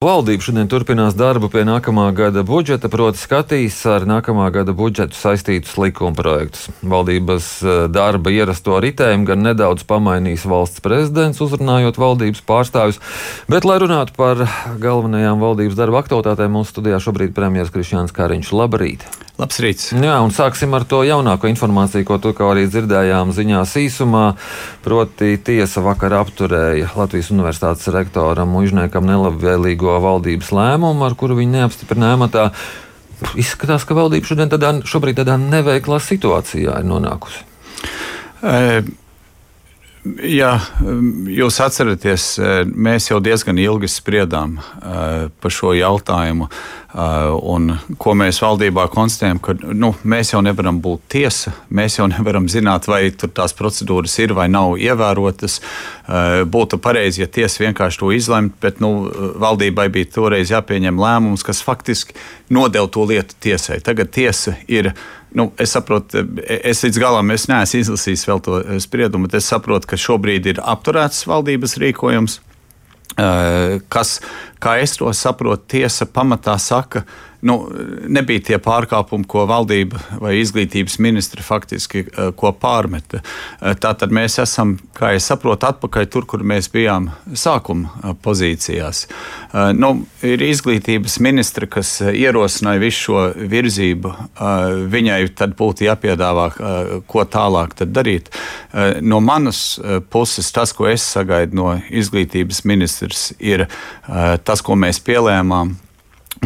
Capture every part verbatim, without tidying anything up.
Valdība šodien turpinās darbu pie nākamā gada budžeta, proti skatīs ar nākamā gada budžetu saistītus likumprojektus. Valdības darba ierasto ritējumu gan nedaudz pamainīs valsts prezidents, uzrunājot valdības pārstāvjus, bet, lai runātu par galvenajām valdības darba aktualitātēm, mūsu studijā šobrīd premjers Krišjāns Kariņš. Labrīt! Labs rīts! Jā, un sāksim ar to jaunāko informāciju, ko tikko arī dzirdējām ziņās īsumā. Proti tiesa vakar apturēja Latvijas Universitātes rektoram Muižniekam nelabvēlīgo valdības lēmumu, ar kuru viņi neapstiprināja amatā. Izskatās, ka valdība šodien tādā, šobrīd tādā neveiklā situācijā ir nonākusi. E Jā, jūs atceraties, mēs jau diezgan ilgi spriedām par šo jautājumu, un ko mēs valdībā konstatējam, ka nu, mēs jau nevaram būt tiesa, mēs jau nevaram zināt, vai tur tās procedūras ir vai nav ievērotas. Būtu pareizi, ja tiesa vienkārši to izlemt, bet nu, valdībai bija toreiz jāpieņem lēmums, kas faktiski nodeva to lietu tiesai. Tagad tiesa ir. Nu, es saprotu, es līdz galam es neesmu izlasījis vēl to spriedumu, bet es saprotu, ka šobrīd ir apturēts valdības rīkojums, kas, kā es to saprotu, tiesa pamatā saka, nu, nebija tie pārkāpumi, ko valdība vai izglītības ministri faktiski ko pārmeta. Tātad mēs esam, kā es saprotu, atpakaļ tur, kur mēs bijām sākuma pozīcijās. Nu, ir izglītības ministri, kas ierosināja visu šo virzību. Viņai tad būtu jāpiedāvā, ko tālāk tad darīt. No manas puses tas, ko es sagaidu no izglītības ministrs, ir tas, ko mēs pielēmām.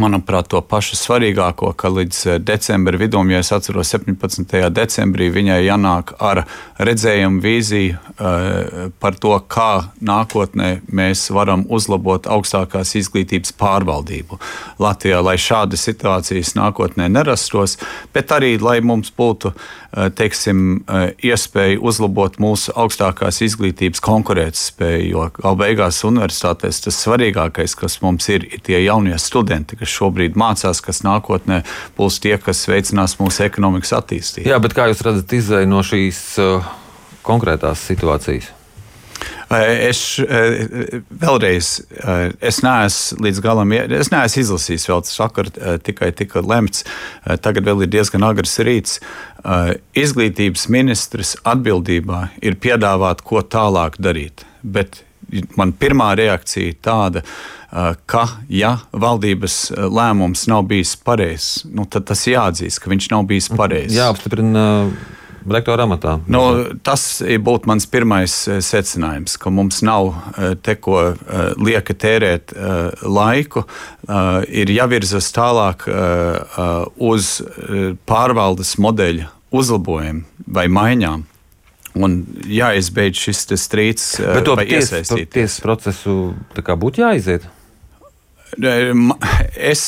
Manuprāt, to pašu svarīgāko, ka līdz decembra vidum, ja es atceros septiņpadsmitajā decembrī, viņai jānāk ar redzējumu vīziju uh, par to, kā nākotnē mēs varam uzlabot augstākās izglītības pārvaldību Latvijā, lai šādas situācijas nākotnē nerastos, bet arī, lai mums būtu, uh, teiksim, uh, iespēja uzlabot mūsu augstākās izglītības konkurētspēju, jo gal beigās universitātēs tas svarīgākais, kas mums ir, ir tie jaunie studenti, kas šobrīd mācās, kas nākotnē būs tie, kas veicinās mūsu ekonomikas attīstību. Jā, bet kā jūs redzat izēju no šīs uh, konkrētās situācijas? Es vēlreiz, es neesmu līdz galam, es neesmu izlasījis vēl, tas vakar tikai tika lemts, tagad vēl ir diezgan agrs rīts. Izglītības ministrs atbildībā ir piedāvāt, ko tālāk darīt, bet man pirmā reakcija tāda, ka, ja valdības lēmums nav bijis pareizs, nu, tad tas jāatzīst, ka viņš nav bijis pareizs. Jāapstiprina rektora amatā. Nu, tas būtu mans pirmais secinājums, ka mums nav te ko lieka tērēt laiku, ir jāvirzas tālāk uz pārvaldes modeļa uzlabojumu vai maiņām. Un jāizbeidz šis strīds vai iesaistīties. Bet to tiesas procesu tā kā būtu jāiziet? Es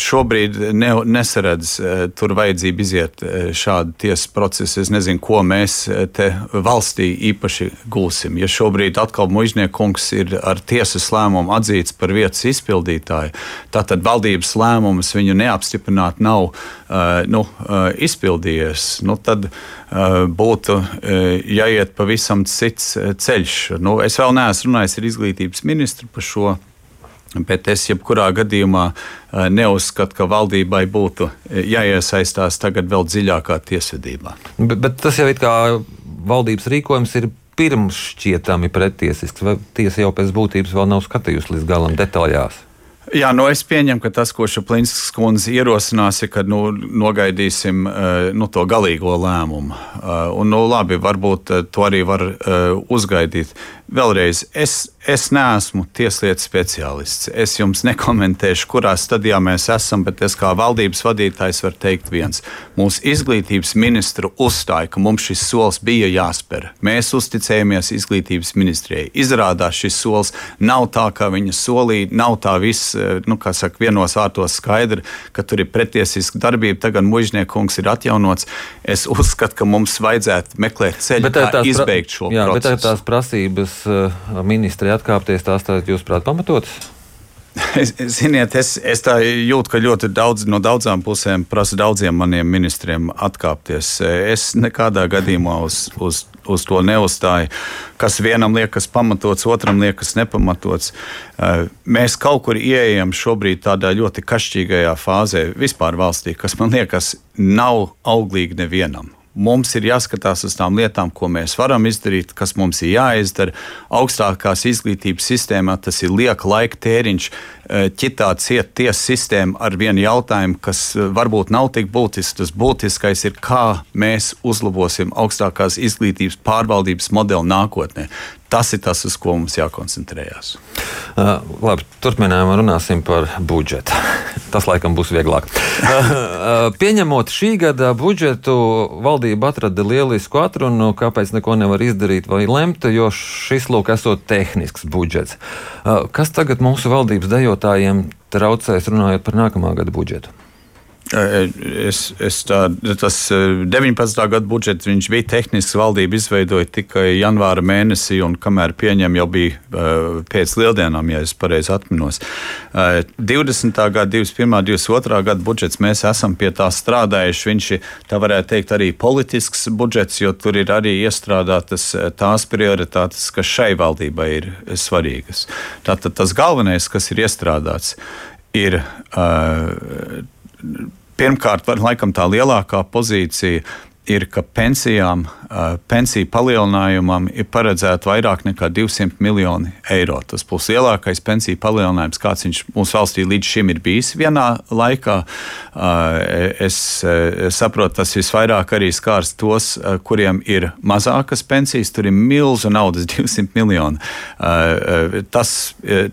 šobrīd ne, nesaredzu tur vajadzību iziet šādu tiesas procesu. Es nezinu, ko mēs te valstī īpaši gūsim. Ja šobrīd atkal Muižnieka kungs ir ar tiesas lēmumu atzīts par vietas izpildītāju, tātad valdības lēmumus viņu neapstiprināt nav nu, izpildījies, nu, tad būtu jāiet pavisam cits ceļš. Nu, es vēl neesmu runājis ar izglītības ministru par šo. Bet es jebkurā gadījumā neuzskatu, ka valdībai būtu jāiesaistās tagad vēl dziļākā tiesvedībā. Bet, bet tas jau ir kā valdības rīkojums ir pirms šķietami pretiesisks, vai tiesa jau pēc būtības vēl nav skatījusi līdz galam detaļās? Jā, nu es pieņemu, ka tas, ko Šaplinskas kundze ierosinās, ir, ka nu, nogaidīsim nu, to galīgo lēmumu. Un, nu, labi, varbūt to arī var uzgaidīt. Vēlreiz, es, es neesmu tieslietu speciālists. Es jums nekomentēšu, kurā stadijā mēs esam, bet es kā valdības vadītājs varu teikt viens. Mūsu izglītības ministru uzstāja, ka mums šis solis bija jāspēr. Mēs uzticējamies izglītības ministrijai. Izrādās šis solis nav tā, kā viņa solīja, nav tā viss, nu, kā saka, vienos vārtos skaidri, ka tur ir pretiesiska darbība. Tagad Muižnieka kungs ir atjaunots. Es uzskatu, ka mums vajadzētu meklēt ceļu, kā izbeigt šo jā, procesu. Bet tās prasības ministri atkāpties, tās tā, jūs prāt, pamatotas? Ziniet, es, es tā jūtu, ka ļoti daudz no daudzām pusēm prasa daudziem maniem ministriem atkāpties. Es nekādā gadījumā uz, uz, uz to neuzstāja. Kas vienam liekas pamatots, otram liekas nepamatots. Mēs kaut kur ieejam šobrīd tādā ļoti kašķīgajā fāzē vispār valstī, kas man liekas nav auglīgi nevienam. Mums ir jāskatās uz tām lietām, ko mēs varam izdarīt, kas mums ir jāizdara. Augstākās izglītības sistēmā tas ir lieka laika tēriņš, ķitāt ciet tiesu sistēmu ar vienu jautājumu, kas varbūt nav tik būtisks. Tas būtiskais ir, kā mēs uzlabosim augstākās izglītības pārvaldības modeli nākotnē. Tas ir tas, uz ko mums jākoncentrējās. Uh, labi, turpinājumā runāsim par budžetu. Tas laikam būs vieglāk. Uh, uh, pieņemot šī gada budžetu, valdība atrada lielisku atrunu, kāpēc neko nevar izdarīt vai lemt, jo šis lūk esot tehnisks budžets. Uh, kas tagad mūsu valdības dejotājiem traucēs runājot par nākamā gada budžetu? Es, es tā, tas deviņpadsmitā gada budžets viņš bija tehnisks, valdība izveidoja tikai janvāra mēnesī, un kamēr pieņem jau bija uh, pēc lieldienām, ja es pareizi atminos. Uh, divdesmitā gada, divdesmit pirmā, divdesmit otrā gada budžets mēs esam pie tā strādājuši. Viņš ir, tā varētu teikt, arī politisks budžets, jo tur ir arī iestrādātas tās prioritātes, kas šai valdībai ir svarīgas. Tātad tas galvenais, kas ir iestrādāts, ir uh, pirmkārt, laikam tā lielākā pozīcija ir, ka pensijām, pensiju palielinājumam ir paredzēta vairāk nekā divsimt miljoni eiro. Tas būs lielākais pensiju palielinājums, kāds viņš mūsu valstī līdz šim ir bijis vienā laikā. Es saprotu, tas visvairāk arī skārs tos, kuriem ir mazākas pensijas. Tur ir milzu naudas, divsimt miljoni. Tas,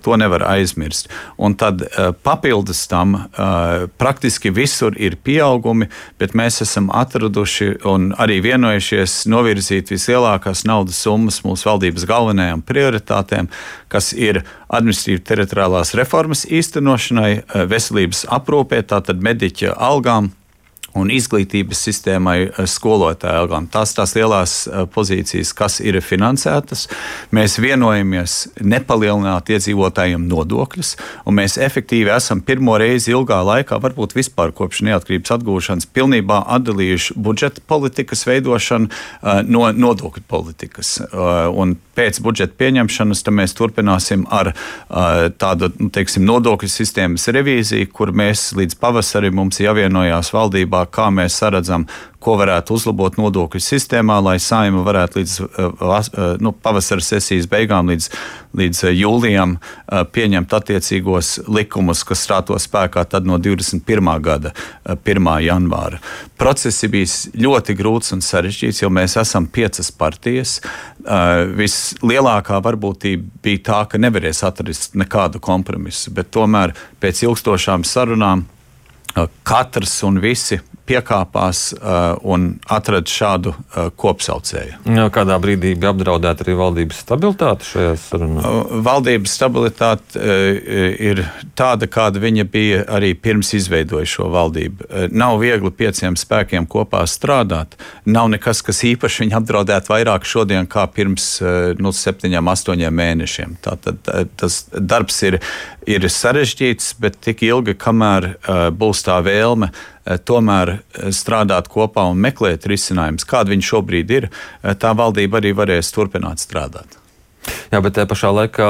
to nevar aizmirst. Un tad papildus tam praktiski visur ir pieaugumi, bet mēs esam atraduši un arī vienojušies novirzīt vislielākās naudas summas mūsu valdības galvenajām prioritātēm, kas ir administratīvi teritoriālās reformas īstenošanai, veselības aprūpē, tātad mediķa algām un izglītības sistēmai, skolotāju algām. Tās tās lielās pozīcijas, kas ir finansētas. Mēs vienojamies nepalielināt iedzīvotājiem nodokļus, un mēs efektīvi esam pirmo reizi ilgā laikā, varbūt vispār kopš neatkarības atgūšanas, pilnībā atdalījuši budžeta politikas veidošanu no nodokļu politikas. Un pēc budžeta pieņemšanas mēs turpināsim ar tādu, nu, teiksim, nodokļu sistēmas revīziju, kur mēs līdz pavasarim mums jāvienojās valdībā, kā mēs saredzam, ko varētu uzlabot nodokļu sistēmā, lai Saeima varētu līdz nu, pavasara sesijas beigām, līdz, līdz jūlijam pieņemt attiecīgos likumus, kas stātos spēkā tad no divdesmit pirmā gada pirmā janvāra. Process ir bijis ļoti grūts un sarežģīts, jo mēs esam piecas partijas. Vislielākā varbūtība bija tā, ka nevarēs atrast nekādu kompromisu, bet tomēr pēc ilgstošām sarunām katrs un visi piekāpās uh, un atrada šādu uh, kopsaucēju. Jā, kādā brīdī bija apdraudēta arī valdības stabilitāte šajās sarunās? Uh, valdības stabilitāte uh, ir tāda, kāda viņa bija arī pirms izveidoja šo valdību. Uh, nav viegli pieciem spēkiem kopā strādāt. Nav nekas, kas īpaši viņu apdraudētu vairāk šodien kā pirms uh, nu, septiņiem, astoņiem mēnešiem. Tātad uh, tas darbs ir, ir sarežģīts, bet tik ilgi, kamēr uh, būs tā vēlme tomēr strādāt kopā un meklēt risinājumus, kāda viņi šobrīd ir, tā valdība arī varēs turpināt strādāt. Jā, bet tajā pašā laikā,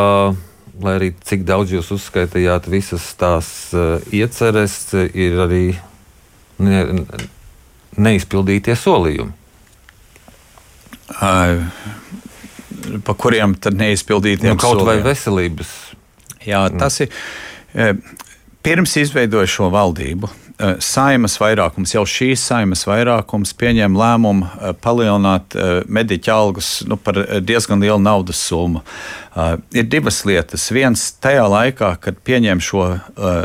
lai arī cik daudz jūs uzskaitījāt, visas tās uh, ieceres, ir arī ne, neizpildītie solījumi. Uh, pa kuriem tad neizpildītiem nu, kaut solījumiem? Vai veselības? Jā, tas ir. Uh, pirms izveidoja šo valdību, Saeimas vairākums, jau šīs Saeimas vairākums pieņem lēmumu palielināt mediķa algas nu, par diezgan lielu naudas summu. Uh, ir divas lietas. Viens, tajā laikā, kad pieņem šo uh,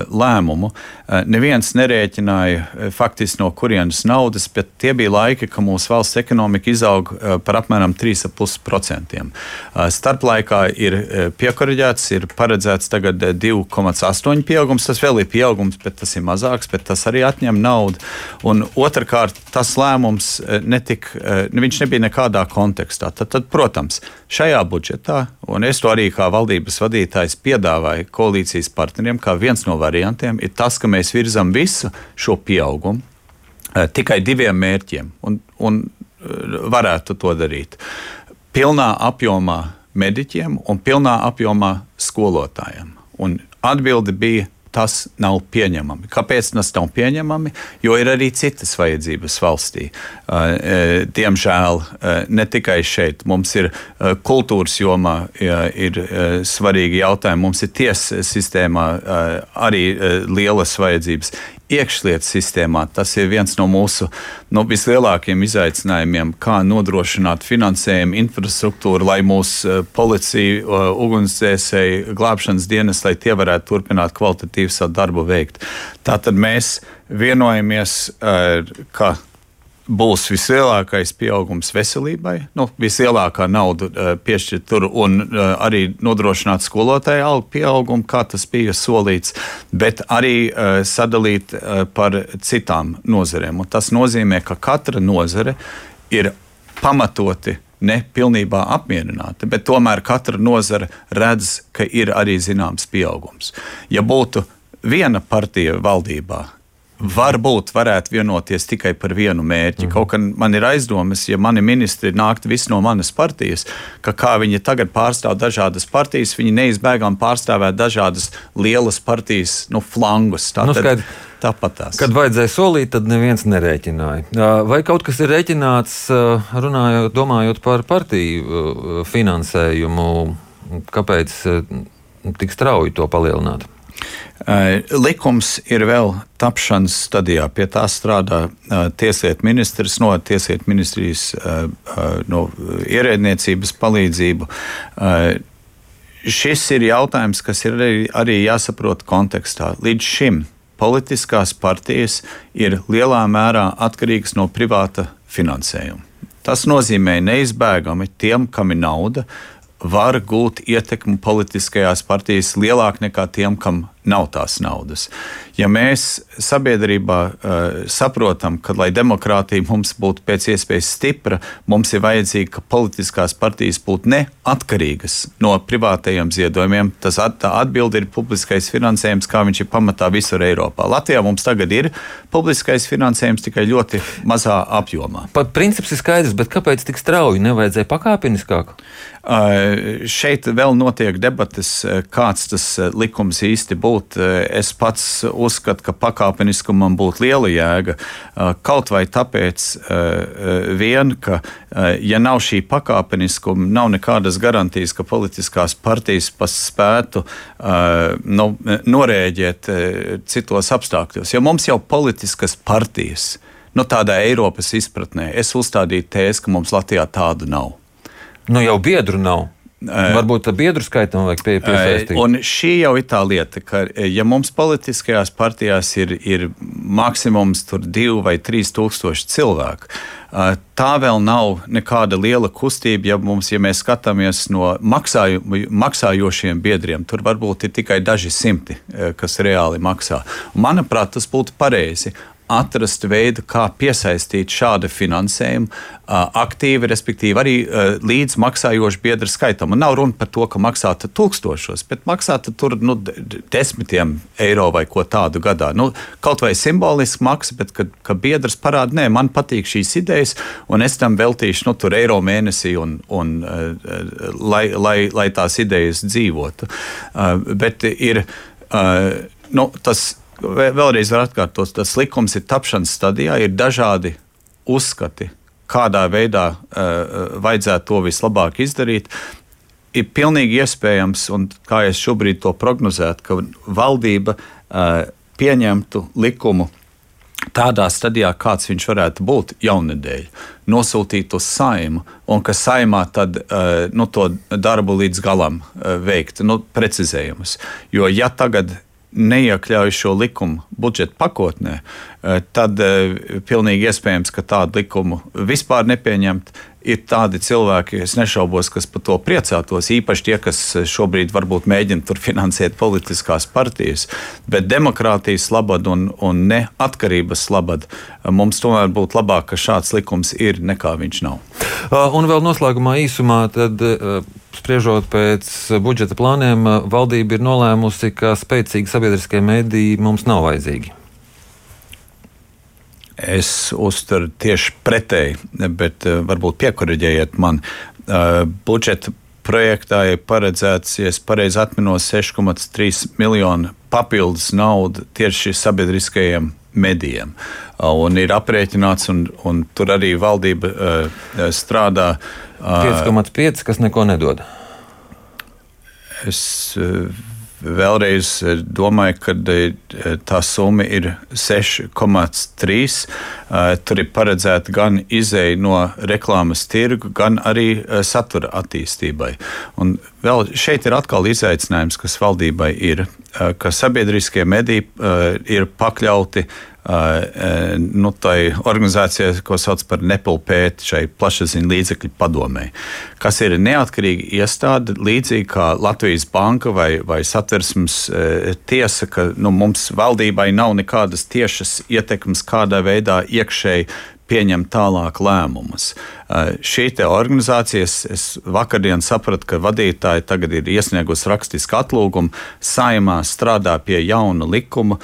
lēmumu, uh, neviens nerēķināja uh, faktiski no kurienes naudas, bet tie bija laiki, ka mūsu valsts ekonomika izaug uh, par apmēram trīs komats pieci procenti. Uh, starplaikā ir uh, piekoriģēts, ir paredzēts tagad uh, divi komats astoņi pieaugums. Tas vēl ir pieaugums, bet tas ir mazāks, bet tas arī atņem naudu. Un otrkārt, tas lēmums uh, netik, uh, viņš nebija nekādā kontekstā. Tad, tad, protams, šajā budžetā, un es to arī kā valdības vadītājs piedāvāju koalīcijas partneriem, kā viens no variantiem, ir tas, ka mēs virzam visu šo pieaugumu uh, tikai diviem mērķiem. Un, un varētu to darīt. Pilnā apjomā mediķiem un pilnā apjomā skolotājiem. Un atbilde bija, tas nav pieņemami. Kāpēc tas nav pieņemami? Jo ir arī citas vajadzības valstī. Diemžēl ne tikai šeit. Mums ir kultūras jomā ir svarīgi jautājumi. Mums ir tiesas sistēmā arī lielas vajadzības. Iekšlietu sistēmā tas ir viens no mūsu no vislielākajiem izaicinājumiem, kā nodrošināt finansējumu, infrastruktūru, lai mūsu policija, ugunsdzēsēji, glābšanas dienas, lai tie varētu turpināt kvalitatīvu savu darbu veikt. Tātad mēs vienojamies, ka būs vislielākais pieaugums veselībai, nu, vislielākā nauda uh, piešķirt tur un uh, arī nodrošināt skolotāju algu pieaugumu, kā tas bija solīts, bet arī uh, sadalīt uh, par citām nozarēm. Un tas nozīmē, ka katra nozare ir pamatoti ne pilnībā apmierināta, bet tomēr katra nozare redz, ka ir arī zināms pieaugums. Ja būtu viena partija valdībā, varbūt varētu vienoties tikai par vienu mērķi. Mm. Kaut kā man ir aizdomas, ja mani ministri nāktu visi no manas partijas, ka kā viņi tagad pārstāv dažādas partijas, viņi neizbēgām pārstāvēt dažādas lielas partijas, nu, flangus. Tā nu, tad, skaidr, tāpat tās. Kad vajadzēja solīt, tad neviens nerēķināja. Vai kaut kas ir rēķināts, runājot, domājot par partiju finansējumu, kāpēc tik strauji to palielināt? Likums ir vēl tapšanas stadijā. Pie tā strādā tieslietu ministrs no tieslietu ministrijas no ierēdniecības palīdzību. Šis ir jautājums, kas ir arī, arī jāsaprot kontekstā. Līdz šim politiskās partijas ir lielā mērā atkarīgas no privāta finansējuma. Tas nozīmē neizbēgami tiem, kam ir nauda, var gūt ietekmi politiskajās partijas lielāk nekā tiem, kam nav tās naudas. Ja mēs sabiedrībā uh, saprotam, ka, lai demokrātija mums būtu pēc iespējas stipra, mums ir vajadzīgi, ka politiskās partijas būtu neatkarīgas no privātajiem ziedojumiem, tas at, tā atbilde ir publiskais finansējums, kā viņš ir pamatā visur Eiropā. Latvijā mums tagad ir publiskais finansējums tikai ļoti mazā apjomā. Pat princips ir skaidrs, bet kāpēc tik strauji? Nevajadzēja pakāpeniskāk? Uh, šeit vēl notiek debates, kāds tas likums īsti būtu. Es pats uzskatu, ka pakāpeniskumam būtu liela jēga. Kaut vai tāpēc vien, ka ja nav šī pakāpeniskuma, nav nekādas garantijas, ka politiskās partijas spētu nu, norēģēt citos apstākļos. Jo mums jau politiskas partijas, nu tādā Eiropas izpratnē, es uzstādītu tēzi, ka mums Latvijā tādu nav. Nu jau biedru nav. Varbūt tā biedru skaitam vajag pie, piesaistīt. Un šī jau ir tā lieta, ka ja mums politiskajās partijās ir, ir maksimums tur divi vai trīs tūkstoši cilvēku, tā vēl nav nekāda liela kustība, ja, mums, ja mēs skatāmies no maksāju, maksājošiem biedriem, tur varbūt ir tikai daži simti, kas reāli maksā. Un, manuprāt, tas būtu pareizi atrast veidu, kā piesaistīt šādu finansējumu aktīvi, respektīvi arī līdz maksājošu biedru skaitam. Un nav runa par to, ka maksātu tūkstošos, bet maksātu tur nu, desmitiem eiro vai ko tādu gadā. Nu, kaut vai simboliski maksa, bet kad, kad biedrs parāda, nē, man patīk šīs idejas, un es tam veltīšu nu, tur eiro mēnesī, un, un, lai, lai, lai tās idejas dzīvotu. Bet ir nu, tas. Vēlreiz var atkārtot, tas likums ir tapšanas stadijā, ir dažādi uzskati, kādā veidā uh, vajadzētu to vislabāk izdarīt. Ir pilnīgi iespējams, un kā es šobrīd to prognozētu, ka valdība uh, pieņemtu likumu tādā stadijā, kāds viņš varētu būt jaunedēļ, nosūtīt uz Saimu, un ka Saimā tad uh, nu, to darbu līdz galam uh, veikt, nu, precizējumus. Jo ja tagad neiekļauj šo likumu budžeta pakotnē, tad pilnīgi iespējams, ka tādu likumu vispār nepieņemt. Ir tādi cilvēki, es nešaubos, kas par to priecātos, īpaši tie, kas šobrīd varbūt mēģina tur finansēt politiskās partijas, bet demokrātijas labad un, un neatkarības labad mums tomēr būtu labāk, ka šāds likums ir, nekā viņš nav. Un vēl noslēgumā īsumā, tad spriežot pēc budžeta plāniem, valdība ir nolēmusi, ka spēcīgi sabiedriskie mediji mums nav vajadzīgi. Es uzturu tieši pretēji, bet varbūt piekoriģējiet man. Budžeta projektā ir paredzēts, ja es pareizi atminos, seši komats trīs miljoni papildus naudu tieši sabiedriskajiem medijiem. Un ir aprēķināts, un, un tur arī valdība uh, strādā. Uh, pieci komats pieci, kas neko nedod. Es uh, vēlreiz domāju, ka tā summa ir seši komats trīs. Tur ir paredzēta gan izēja no reklāmas tirgu, gan arī satura attīstībai. Un vēl šeit ir atkal izaicinājums, kas valdībai ir, ka sabiedriskie mediji ir pakļauti nu, tai organizācijai, ko sauc par nepilpēt, šai plašsaziņu līdzekļu padomei, kas ir neatkarīga iestāde, līdzīgi kā Latvijas banka vai, vai satversmes tiesa, ka nu, mums valdībai nav nekādas tiešas ietekmes, kādā veidā iekšēji pieņem tālāk lēmumus. Šī te organizācija, es, es vakardien sapratu, ka vadītāji tagad ir iesniegusi rakstisku atlūgumu, Saeimā strādā pie jauna likuma,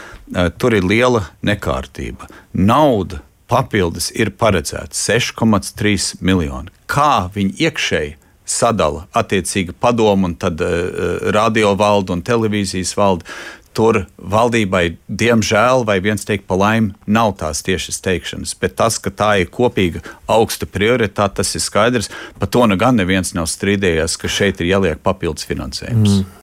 tur ir liela nekārtība. Nauda papildus ir paredzēta seši komats trīs miljoni. Kā viņi iekšēji sadala attiecīgi padomu un tad uh, radio valdu un televīzijas valdu, tur valdībai, diemžēl, vai viens teikt pa laimi, nav tās tiešas teikšanas, bet tas, ka tā ir kopīga augsta prioritāte, tas ir skaidrs. Par to nu gan neviens nav strīdējies, ka šeit ir jāliek papildus finansējums. Mm.